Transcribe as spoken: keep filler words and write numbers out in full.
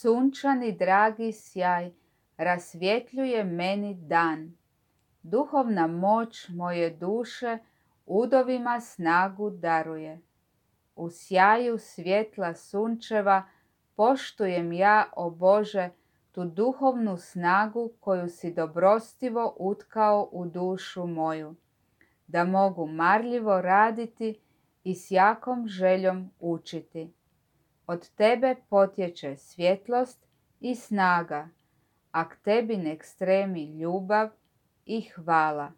sunčani dragi sjaj rasvjetljuje meni dan. Duhovna moć moje duše udovima snagu daruje. U sjaju svjetla sunčeva poštujem ja, o Bože, tu duhovnu snagu koju si dobrostivo utkao u dušu moju, da mogu marljivo raditi i s jakom željom učiti. Od tebe potječe svjetlost i snaga, a k tebi nek stremi ljubav i hvala.